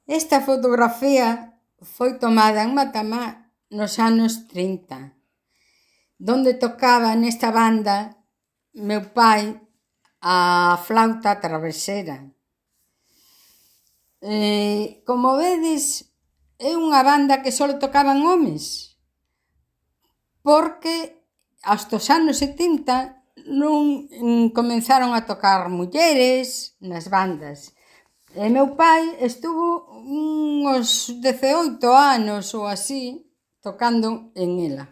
Esta fotografía foi tomada en Matamá nos anos 30, donde tocaba nesta banda meu pai a flauta travesera. Como vedes, é unha banda que só tocaban homes, porque hasta os anos 70 non comenzaron a tocar mulleres nas bandas. E meu pai estuvo uns 18 anos ou así tocando en ela.